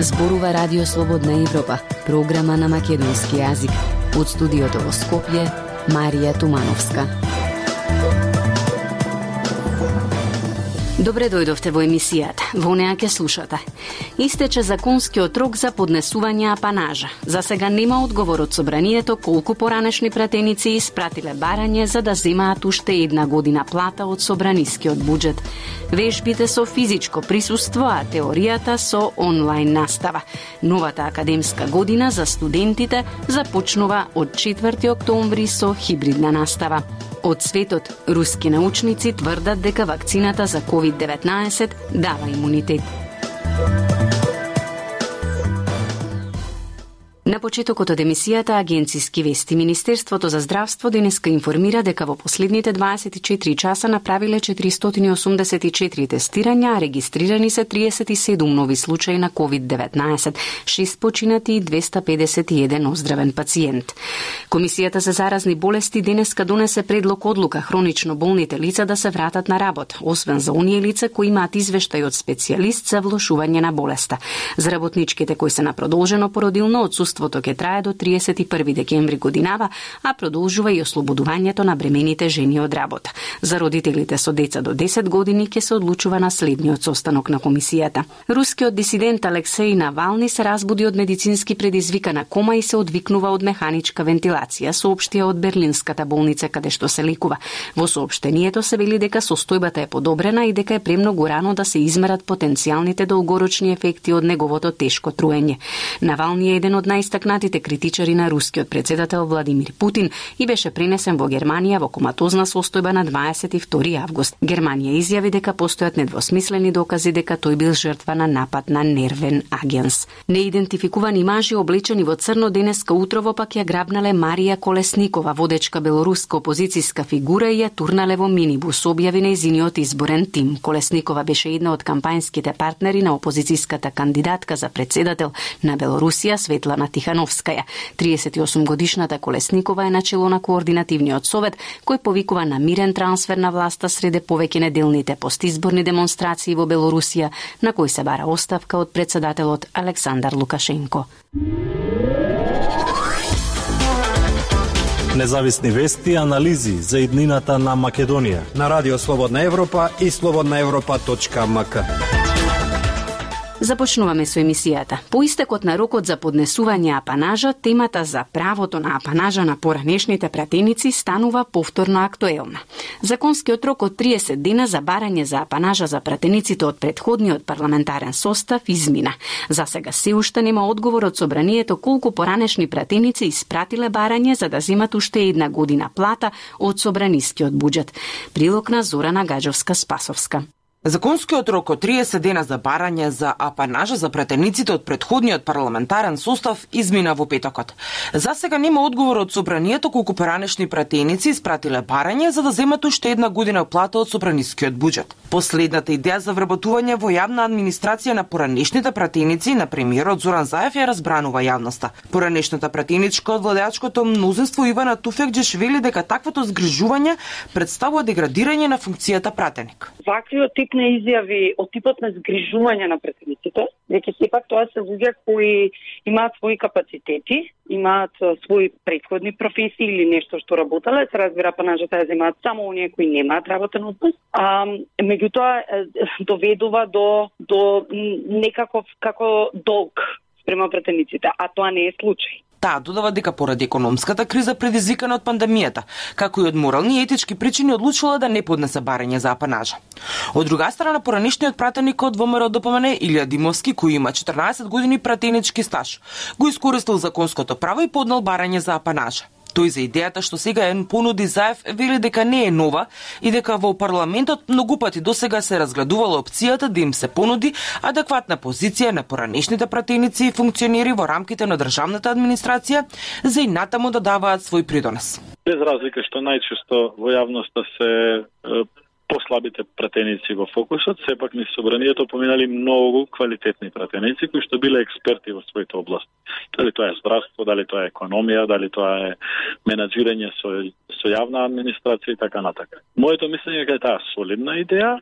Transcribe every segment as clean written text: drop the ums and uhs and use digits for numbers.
Зборува Радио Слободна Европа, програма на македонски јазик. Од студиото во Скопје, Марија Тумановска. Добре дојдовте во емисијата. Во неа ќе слушате. Истече законскиот рок за поднесување апанажа. За сега нема одговор од собранието колку поранешни пратеници испратиле барање за да земаат уште една година плата од собранискиот буџет. Вежбите со физичко присуство, а теоријата со онлайн настава. Новата академска година за студентите започнува од 4 октомври со хибридна настава. Од светот, руски научници тврдат дека вакцината за COVID-19 дава имунитет. На почетокот од емисијата Агенциски вести, Министерството за здравство денеска информира дека во последните 24 часа направиле 484 тестирања, а регистрирани се 37 нови случаи на COVID-19, 6 починати и 251 оздравен пациент. Комисијата за заразни болести денеска донесе предлог одлука хронично болните лица да се вратат на работа, освен за оние лица кои имаат извештај од специјалист за влошување на болеста. За работничките кои се на продолжено породилно отсуство ќе трае до 31 декември годинава, а продолжува и ослободувањето на бремените жени од работа. За родителите со деца до 10 години ќе се одлучува на следниот состанок на комисијата. Рускиот дисидент Алексеј Навални се разбуди од медицински предизвикана кома и се одвикнува од механичка вентилација, соопштија од Берлинската болница каде што се лекува. Во соопштението се вели дека состојбата е подобрена и дека е премногу рано да се измерат потенцијалните долгорочни ефекти од неговото тешко труење. Навални е еден од најстакнатите критичари на рускиот председател Владимир Путин и беше пренесен во Германија во коматозна состојба на 22 август. Германија изјави дека постојат недвосмислени докази дека тој бил жртва на напад на нервен агенс. Неидентификувани мажи облечени во црно денеска утрово пак ја грабнале Марија Колесникова, водечка белоруска опозицијска фигура, и ја турнале во минибус, објави нејзиниот изборен тим. Колесникова беше една од кампањските партнери на опозицијската кандидатка за председател на Белорусија Светлана Тихановскаја. 38-годишната Колесникова е начело на координативниот совет, кој повикува на мирен трансфер на власта среде повеќе неделните постизборни демонстрации во Белорусија, на кој се бара оставка од председателот Александар Лукашенко. Независни вести и анализи за иднината на Македонија на Радио Слободна Европа и slobodnaevropa.mk. Започнуваме со емисијата. По истекот на рокот за поднесување апанажа, темата за правото на апанажа на поранешните пратеници станува повторно актуелна. Законскиот рок од 30 дена за барање за апанажа за пратениците од претходниот парламентарен состав измина. За сега се уште нема одговор од собранието колку поранешни пратеници испратиле барање за да земат уште една година плата од собранискиот буџет. Прилог на Зорана Гаджовска-Спасовска. Законскиот рок од 30 дена за барање за апанажа за пратениците од претходниот парламентарен состав измина во петокот. За сега нема одговор од собранието колку поранешни пратеници испратиле барање за да земат уште една година плата од собранискиот буџет. Последната идеја за вработување во јавна администрација на поранешните пратеници на премиерот Зоран Заев ја разбранува јавноста. Поранешната пратеничка од владеачкото мнозинство Ивана Туфекџешвили дека таквото згрижување представува деградирање на функцијата пратеник. Ваквиот тип на изјави од типот на згрижување на пратениците, дека сепак тоа се луѓе кои имаат своји капацитети, имаат своји претходни професии или нешто што работеле, се разбира апанажата ја земаат само оние кои немаат работен однос. Меѓутоа доведува до некаков како долг спрема пратениците, а тоа не е случај. Таа додава дека поради економската криза предизвикана од пандемијата, како и од морални и етички причини одлучила да не поднесе барање за апанажа. Од друга страна, поранешниот пратеник од ВМРО ДПМН Илија Димовски, кој има 14 години пратенички стаж, го искористил законското право и поднел барање за апанажа. Тој за идејата што сега ја понуди Заев вели дека не е нова и дека во парламентот многу пати досега се разгледувала опцијата да им се понуди адекватна позиција на поранешните пратеници и функционери во рамките на државната администрација за и натаму да даваат свој придонес. Без разлика што најчесто во јавноста се послабите пратеници во фокусот, сепак низ собранието поминали многу квалитетни пратеници кои што биле експерти во своите области. Дали тоа е здравство, дали тоа е економија, дали тоа е менаџирање со јавна администрација и така натака. Моето мислење е дека таа солидна идеја,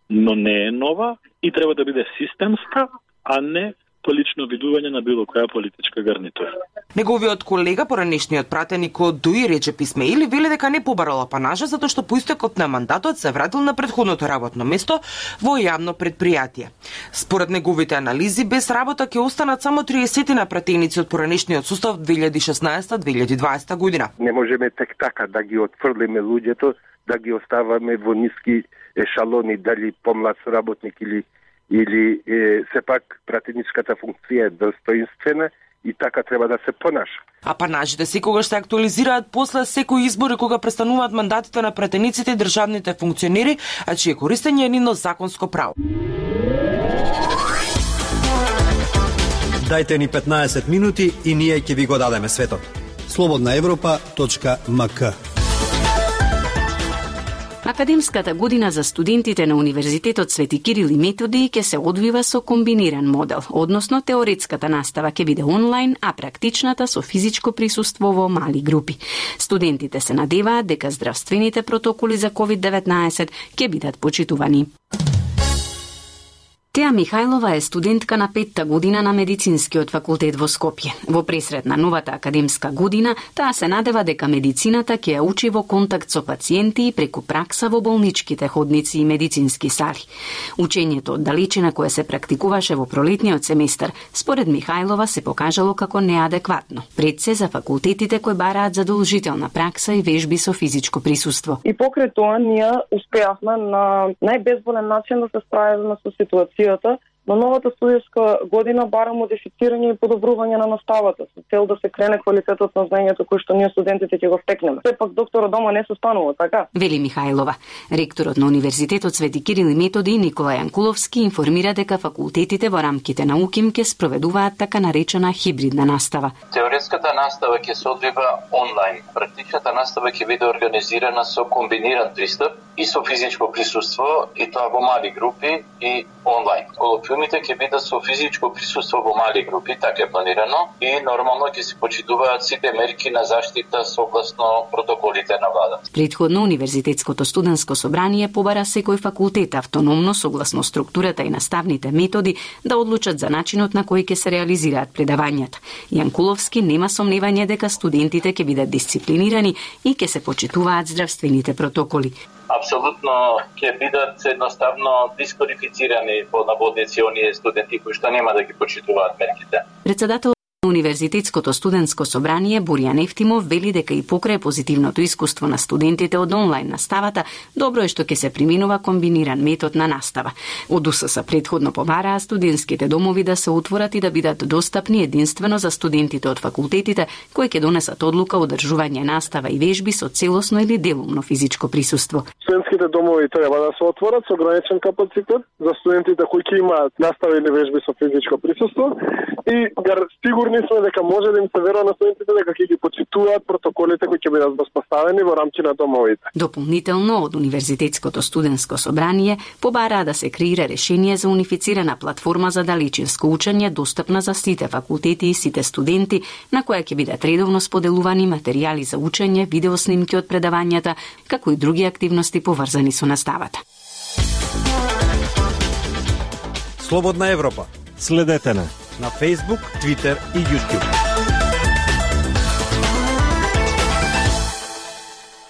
но не е нова и треба да биде системска, а не по лично видување на било која политичка гарнитура. Неговиот колега, поранешниот пратеник од ДУИ Реджеп Исмаили, вели дека не побарал апанажа затоа што по истекот на мандатот се вратил на претходното работно место во јавно предпријатие. Според неговите анализи, без работа ќе останат само 30 на пратеници од поранешниот сустав 2016-2020 година. Не можеме тек така да ги отфрлиме луѓето, да ги оставаме во ниски ешалони, дали помлад работник или сепак пратеничката функција е достоинствена и така треба да се понаша. Апанажите секогаш се актуализираат после секој избори кога престануваат мандатите на пратениците и државните функционери, а чие користење е нивно законско право. Дајте ни 15 минути и ние ќе ви го дадеме светот. slobodnaevropa.mk. Академската година за студентите на Универзитетот Свети Кирил и Методи ќе се одвива со комбиниран модел, односно теоретската настава ќе биде онлайн, а практичната со физичко присуство во мали групи. Студентите се надеваат дека здравствените протоколи за COVID-19 ќе бидат почитувани. Теа Михајлова е студентка на 5-та година на Медицинскиот факултет во Скопје. Во пресред на новата академска година, таа се надева дека медицината ќе ја учи во контакт со пациенти и преку пракса во болничките ходници и медицински сали. Учењето од далечина кое се практикуваше во пролетниот семестар, според Михајлова се покажало како неадекватно. Пред се за факултетите кои бараат задолжителна пракса и вежби со физичко присуство. И покрај тоа ние успеавме на најбезболен начин да се справиме со ситуација на новата студиска година бара модифицирање и подобрување на наставата со цел да се крене квалитетот на знаењето кој што ние студентите ќе го стекнеме. Сепак докторот дома не се станува, така? Вели Михајлова. Ректорот на Универзитетот Свети Кирил и Методи Никола Јанкуловски информира дека факултетите во рамките на УКИМ ќе спроведуваат така наречена хибридна настава. Теоретската настава ќе се одвива онлайн. Практичната настава ќе биде организирана со комбиниран пристап и со физичко присуство, и тоа во мали групи и онлайн. Колоквиумите ќе бидат со физичко присуство во мали групи, така е планирано, и нормално ќе се почитуваат сите мерки на заштита согласно протоколите на владата. Претходно Универзитетското студентско собрание побара секој факултет автономно согласно структурата и наставните методи да одлучат за начинот на кој ќе се реализираат предавањата. Јанкуловски нема сомневање дека студентите ќе бидат дисциплинирани и ќе се почитуваат здравствените протоколи. Апсолутно ќе бидат едноставно дисквалифицирани по наводници оние студенти кои што нема да ги почитуваат мерките. Председател на Универзитетското студентско собрание Боријан Ефтимов вели дека и покрај позитивното искуство на студентите од онлайн наставата, добро е што ќе се применува комбиниран метод на настава. Од УСС претходно побараа студентските домови да се отворат и да бидат достапни единствено за студентите од факултетите кои ќе донесат одлука одржување настава и вежби со целосно или делумно физичко присуство. Студентските домови треба да се отворат со ограничен капацитет за студентите кои ќе имаат настава или вежби со физичко присуство и сигурни сме дека може да им се верува на студентите дека ќе ги почитуваат протоколите кои ќе бидат воспоставени во рамки на домовите. Дополнително од Универзитетското студентско собрание побараа да се креира решение за унифицирана платформа за далечинско учење достапна за сите факултети и сите студенти, на која ќе бидат редовно споделувани материјали за учење, видеоснимки од предавањата, како и други активности поврзани со наставата. Слободна Европа. Следете на Facebook, Twitter и YouTube.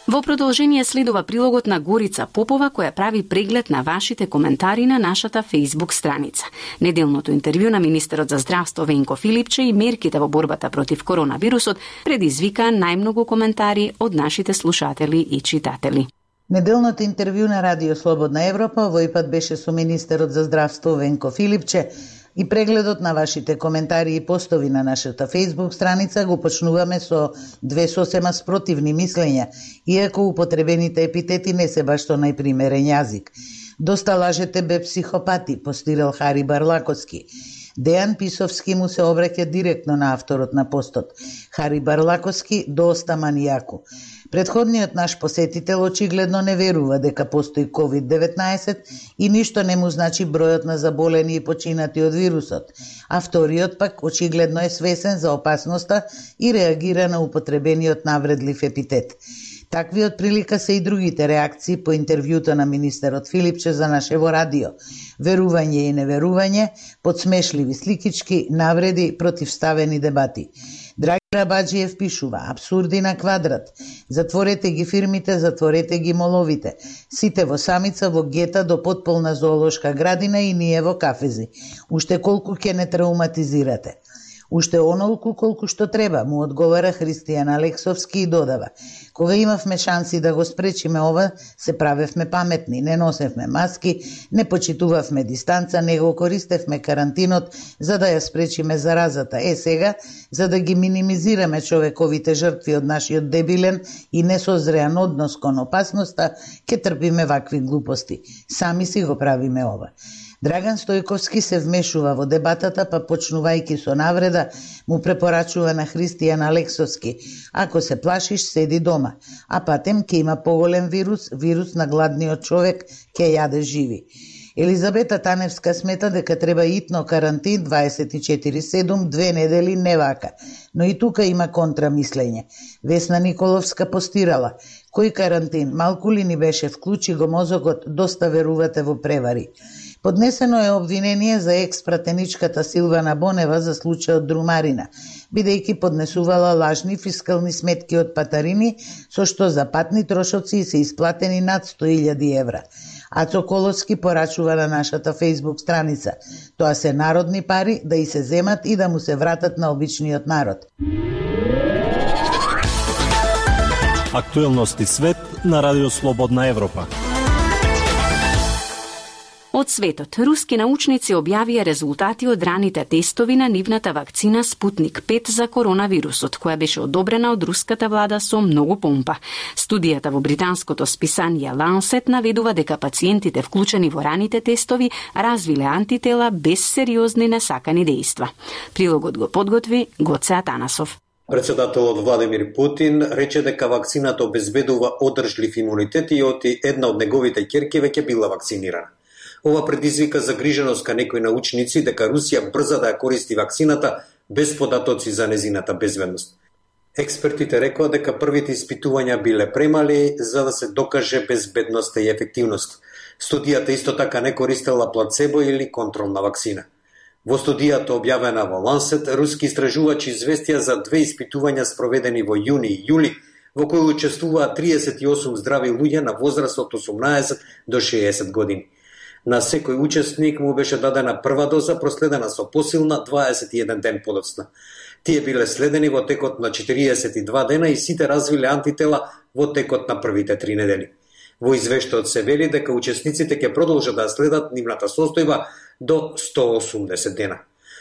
Во продолжение следува прилогот на Горица Попова која прави преглед на вашите коментари на нашата Facebook страница. Неделното интервју на министерот за здравство Венко Филипче и мерките во борбата против коронавирусот предизвика најмногу коментари од нашите слушатели и читатели. Неделното интервју на Радио Слободна Европа овој пат беше со министерот за здравство Венко Филипче и прегледот на вашите коментари и постови на нашата Facebook страница го почнуваме со две сосема спротивни мислења, иако употребените епитети не се баш со најпримерен јазик. Доста лажете бе психопати, постирал Хари Барлаковски. Дејан Писовски му се обраќа директно на авторот на постот. Хари Барлаковски доста манијако. Предходниот наш посетител очигледно не верува дека постои COVID-19 и ништо не му значи бројот на заболени и починати од вирусот, а вториот пак очигледно е свесен за опасноста и реагира на употребениот навредлив епитет. Такви од прилика се и другите реакции по интервјуто на министерот Филипче за нашево радио. Верување и неверување, подсмешливи сликички, навреди, противставени дебати. Драги Рабаджиев пишува: абсурди на квадрат. Затворете ги фирмите, затворете ги моловите. Сите во самица, во гета до потполна зоолошка градина и ние во кафези. Уште колку ќе не травматизирате? Уште онолку колку што треба, му одговара Христијан Алексовски и додава: кога имавме шанси да го спречиме ова, се правевме паметни, не носевме маски, не почитувавме дистанца, не го користевме карантинот за да ја спречиме заразата. Сега, за да ги минимизираме човековите жртви од нашиот дебилен и несозреан однос кон опасноста, ќе трпиме вакви глупости. Сами си го правиме ова. Драган Стојковски се вмешува во дебатата, па почнувајќи со навреда, му препорачува на Христијан Алексовски: ако се плашиш, седи дома, а патем ќе има поголем вирус на гладниот човек, ќе јаде живи. Елизабета Таневска смета дека треба итно карантин 24/7, 2 недели не вака, но и тука има контрамислење. Весна Николовска постирала: кој карантин, малку ли ни беше, вклучи го мозокот, доста верувате во превари. Поднесено е обвинение за екс-пратеничката Силвана Бонева за случајот Друмарина, бидејќи поднесувала лажни фискални сметки од патарини, со што за патни трошоци се исплатени над 100.000 евра. Ацо Коловски порачува на нашата фејсбук страница: тоа се народни пари, да и се земат и да му се вратат на обичниот народ. Актуелности свет на Радио Слободна Европа. Од светот, руски научници објавија резултати од раните тестови на нивната вакцина Спутник 5 за коронавирусот, која беше одобрена од руската влада со многу помпа. Студијата во британското списание Lancet наведува дека пациентите вклучени во раните тестови развиле антитела без сериозни несакани дејства. Прилогот го подготви Гоце Атанасов. Председателот Владимир Путин рече дека вакцината обезбедува одржлив имунитет и оти една од неговите ќерки веќе била вакцинирана. Ова предизвика загриженост кај некои научници дека Русија брза да ја користи вакцината без податоци за незината безбедност. Експертите рекоа дека првите испитувања биле премали за да се докаже безбедноста и ефективност. Студијата исто така не користела плацебо или контролна вакцина. Во студијата објавена во Lancet, руски истражувачи известија за 2 испитувања спроведени во јуни и јули, во кои учествуваа 38 здрави луѓе на возраст од 18 до 60 години. На секој учесник му беше дадена прва доза, проследена со посилна 21 ден подоцна. Тие биле следени во текот на 42 дена и сите развиле антитела во текот на првите 3 недели. Во извештајот се вели дека учесниците ќе продолжат да следат нивната состојба до 180 дена.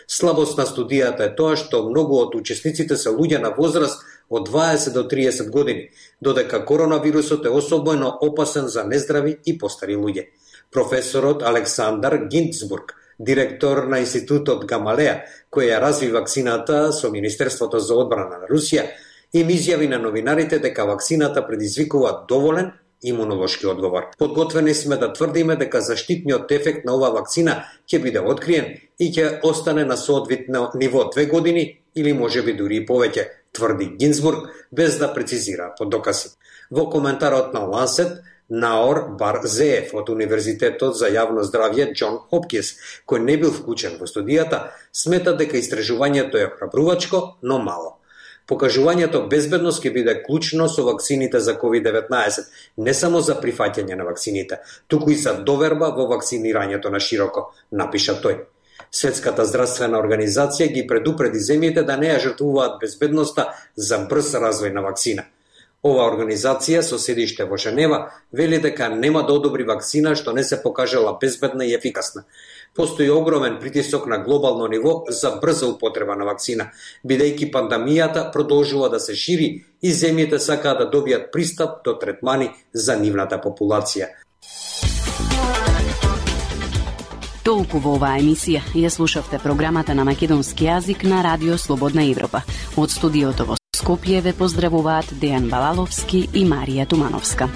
Слабост на студијата е тоа што многу од учесниците се луѓе на возраст од 20 до 30 години, додека коронавирусот е особено опасен за нездрави и постари луѓе. Професорот Александар Гинцбург, директор на Институтот Гамалеја, кој ја разви вакцината со Министерството за одбрана на Русија, им изјави на новинарите дека вакцината предизвикува доволен имунолошки одговор. Подготвени сме да тврдиме дека заштитниот ефект на оваа вакцина ќе биде откриен и ќе остане на соодветно ниво 2 години или можеби дури и повеќе, тврди Гинцбург, без да прецизира под докази. Во коментарот на Lancet, Наор Барзеев од Универзитетот за јавно здравје Џон Хопкинс, кој не бил вклучен во студијата, смета дека истражувањето е храбрувачко, но мало. Покажувањето безбедност ќе биде клучно со вакцините за COVID-19, не само за прифаќање на вакцините, туку и за доверба во вакцинирањето на широко, напиша тој. Светската здравствена организација ги предупреди земјите да не ја жртвуваат безбедноста за брз развој на вакцина. Ова организација со седиште во Женева вели дека нема да одобри вакцина што не се покажала безбедна и ефикасна. Постои огромен притисок на глобално ниво за брза употреба на вакцина, бидејќи пандемијата продолжува да се шири и земјите сакаат да добијат пристап до третмани за нивната популација. Толку во оваа емисија. Ја слушавте програмата на македонски јазик на Радио Слободна Европа. Од студиото во Скопје ве поздравуваат Дејан Балаловски и Марија Тумановска.